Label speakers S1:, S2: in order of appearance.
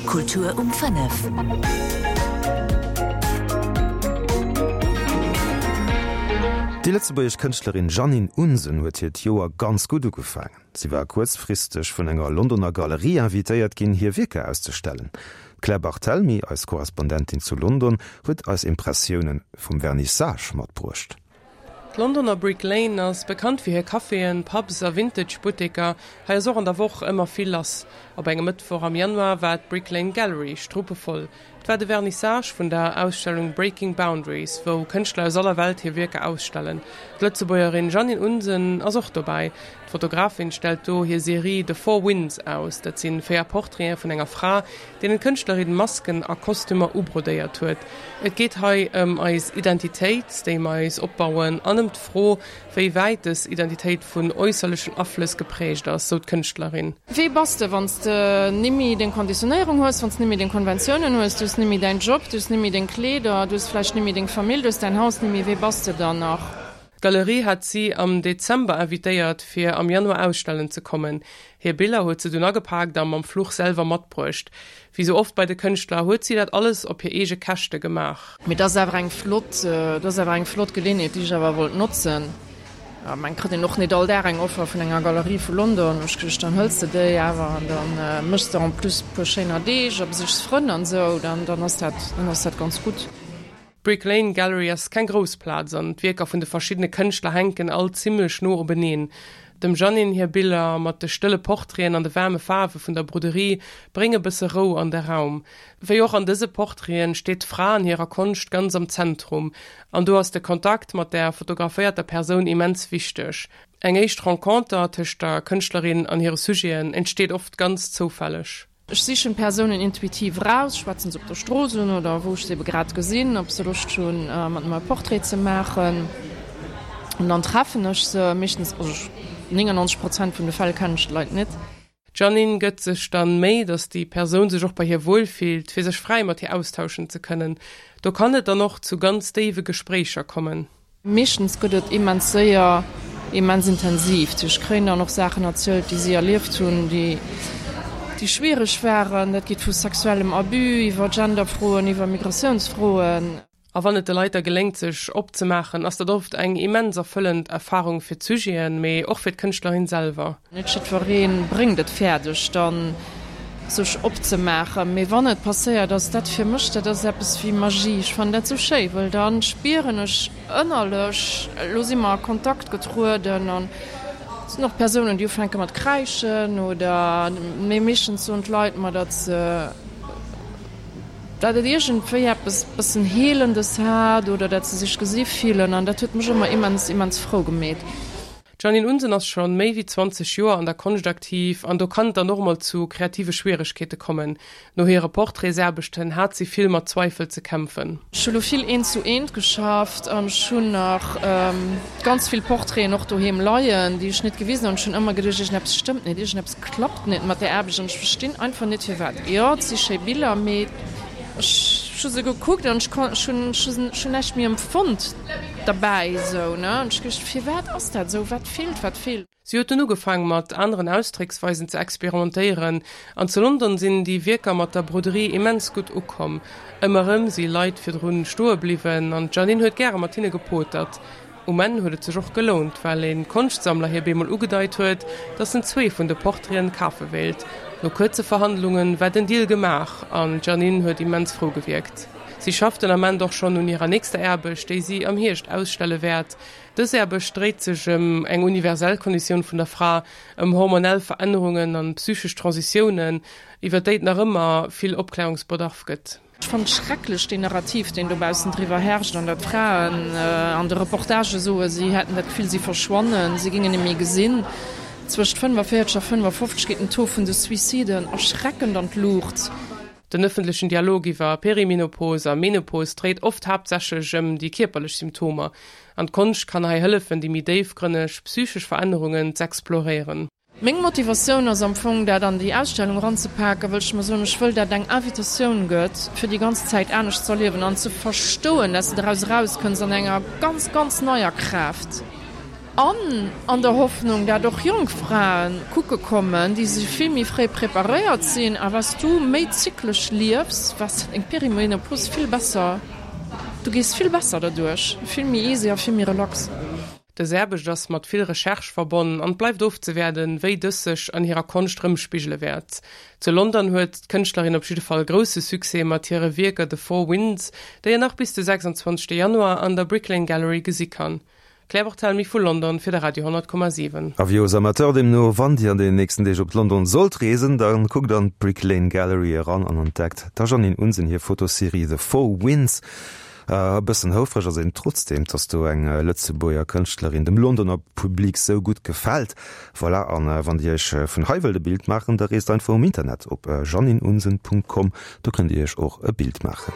S1: Kultur um 5.
S2: Déi lëtzebuergesch Kënschtlerin Jeannine Unsen huet hiert Joer ganz gutt ugefaangen. Si war kuerzfristeg vun enger Londoner Galerie invitéiert ginn, hir Wierker auszestellen. D'Claire Barthelmy, eis Korrespondentin zu London, huet eis Impressioune vum Vernissage matbruecht.
S3: D'Londoner Brick Lane ass bekannt fir hir Caféen, Pubs a Vintage-Butteker. Hei ass och an der Woch ëmmer vill lass. Op engem Mëttwoch am Januar war d'Brick Lane Gallery struppevoll. Et war de Vernissage vun der Ausstellung Breaking Boundaries, wou Kënschtler aus aller Welt hir Wierker ausstellen. D'Lëtzebuergerin Jeannine Unsen ass och dobäi. D'Fotografin stellt do hir Serie The Four Winds aus. Dat si 4 Portraite vun enger Fra, deenen d'Kënschtlerin Masken a Kostümer ubrodéiert huet. Et geet hei ëm eis Identitéit, déi mer eis opbauen, an ëm d'Fro, wéi wäit dës Identitéit vun äusserlechen Aflëss geprägt ass, sou d'Kënschtlerin.
S4: Wee bass de, wann s de nimmi deng Konditionéierung hues, wann s nimmi deng Konventiounen hues, du hues nimmi däin Job, du hues nimmi deng Kleeder, du hues vläicht nimmi deng Famill, du hues däin Haus nimmi, wee bass de dann nach?
S3: D'Galerie hat si am Dezember invitéiert, fir am Januar ausstellen ze kommen. Hir Biller huet se dunn agepaakt a mam Fluch selwer matbruecht. Wéi sou oft bei de Kënschtler huet si dat alles op hir eege Käschte gemaach.
S4: Mee dat ass awer eng flott, dat ass awer eng flott Geleeënheet, déi ech awer wollt notzen. Ech mengen, kritt een och net all Dag eng Offer vun enger Galerie vu London. Hu ech geduecht, dann hëls de déi awer an da méchs de en plus e puer schéiner Deeg a besichs Frënn an esou, dann, dann ass dat, dann ass dat ganz gutt.
S3: D'Brick Lane Gallery ass keng grouss Plaz an d'Wierker vun de verschiddene Kënschtler hänken all zimmlech no openeen. Dem Jeannine hir Biller mat de stëlle Portraiten an de waarme Faarwe vun der Broderie brénge bësse Rou an de Raum. Wéi och an dëse Portraiten steet d'Fra an hirer Konscht ganz am Zentrum an do ass de Kontakt mat der fotograféierter Persoun immens wichteg. Eng éischt Renconter tëscht der Kënschtlerin an hire Sujeten entsteet oft ganz zoufälleg.
S4: Ech sichen d'Persounen intuitiv eraus, schwätzen se op der Strooss un oder wou ech se ebe grad gesinn, ob se Loscht hunn mat mer e Portrait ze maachen. An dann treffen ech se meeschtens, also 99 Prozent vun de Fäll kennen ech d'Leit net.
S3: D'Jeannine gëtt sech dann Méi, datt déi Persoun sech och bei hir wuel fillt, fir sech fräi mat hir austauschen ze kënnen. Do kann et dann och zu ganz déiwe Gespréicher kommen.
S4: Meeschtens gëtt et immens séier immens intensiv. Ech kréien dann och Saachen erzielt, déi si erlieft hunn, déi schwiereg waren. Dat geet vu sexuellem Abus iwwer Genderfroen, iwwer Migratiounsfroen.
S3: A wann et de Leit da geléngt, sech opzemaachen, ass dat oft eng immens erfëllend Erfarung fir d'Sujeten, mee och fir d'Kënschtlerin selwer.
S4: Net jiddweree bréngt et fäerdeg dann sech opzemaachen, mee wann et passéiert ass dat fir mech, dat ass eppes wéi Magie. Ech fannen dat sou schéi, wëll da spieren ech ënnerlech, elo si mer a Kontakt getrueden an et sinn och Persounen déi ufänke mat kräischen oder, mee meeschtens soen d'Leit mer, datt se, datt et iergendwéi eppes bëssen Heelendes hat oder datt se sech gesi fillen an dat huet mech ëmmer immens, immens frou gemeet.
S3: D'Jeannine Unsen ass scho méi wéi 20 Joer an der Konscht aktiv an do kann et dann och mol zu kreative Schwieregkeete kommen. No hire Portraitsaarbechten hat si vill mat Zweifel ze kämpfen.
S4: Ech hu lo vill eent zu eent geschafft an ech hunn nach ganz vill Portraiten och doheem leien, déi ech net gewisen hunn. Ech hunn ëmmer geduecht, iergendeppes stëmmt net, iergendeppes klappt net mat där Aarbecht an ech verstinn einfach net firwat. Jo, et si schéi Biller, mee ech hu se gekuckt an ech hunn näischt méi empfonnt. Derbäi esou, ne? An ech geduecht, firwat ass dat esou? Wat feelt? Wat feelt?
S3: Si huet dunn ugefaang mat aneren Ausdrécksweisen ze experimentéieren an zu London sinn déi Wierker mat der Broderie immens gutt ukomm. Ëmmer erëm si Leit virdrun stoe bliwwen an d'Janine huet gäre mat hinne gepotert. Um Enn huet et sech och gelount, well e Konschtsammler hir bemol ugedeit huet, datt en zwee vun de Portraiten kafe wéilt. No kuerze Verhandlunge war den Deal gemaach an d'Janine huet immens frou gewierkt. Si schafft den Ament och schonn un hirer nächster Aarbecht, déi si am Hierscht ausstelle wäert. Dës Aarbecht dréit sech ëm eng universell Konditioun vun der Fra, ëm hormonell Verännerungen an psychesch Transitiounen, iwwer déi et nach ëmmer vill Opklärungsbedarf gëtt.
S4: Ech fannen et schrecklech, deen Narrativ, deen dobaussen driwwer herrscht an datt d'Fraen an de Reportagë soen, si hätten dat Gefill, si verschwannen, si géingen net méi gesinn. Zwëscht 45 a 55 geet den Taux vun de Suiciden erschreckend an d'Luucht.
S3: Den ëffentlechen Dialog iwwer Perimenopos a Menopos dréit oft haaptsächlech ëm déi kierperlech Symptomer, an d'Konscht kann hei hëllefen, déi méi déifgrënneg psychesch Verännerungen z'exploréieren.
S4: Meng Motivatioun ass am Fong, dat an déi Ausstellung eranzepaken, wëll ech mer soen, ech wëll, dat eng Invitatioun gëtt, fir déi ganz Zäit anescht z'erliewen an ze verstoen, dass de doraus erauskënns an enger ganz, ganz neier Kraaft. An an der Hoffnung, dat och jonk Frae kucke kommen, déi si vill méi fréi preparéiert sinn. A was du méi zyklesch liefs, was deng Perimenopause vill besser, du gees vill besser derduerch, vill méi easy a vill méi relax.
S3: Dës Aarbecht ass mat vill Recherche verbonn an et bleift ofzewaarden, wéi dës sech an hirer Konscht erëmspigele wäert. Zu London huet d'Kënschtlerin op jidde Fall grousse Succès mat hire Wierker The Four Winds, déi een nach bis de 26 Januar an der Brick Lane Gallery gesi kann. Claire Barthelmy vu London fir de Radio 100,7.
S2: Avis aux amateurs deemno, wann Dir an deenen nächsten Deeg op London sollt reesen, da kuckt an d'Brick Lane Gallery eran an entdeckt der Janine Unsen hir Fotoserie The Four Winds. E bëssen houfreg ass een trotzdeem, dass do eng Lëtzebuerger Kënschtlerin dem Londoner Public sou gutt gefält. Voilà, an wann Dir Iech vun hei wëllt e Bild maachen, da reest einfach um Internet op janineunsen.com, do kënnt Dir Iech och e Bild maachen.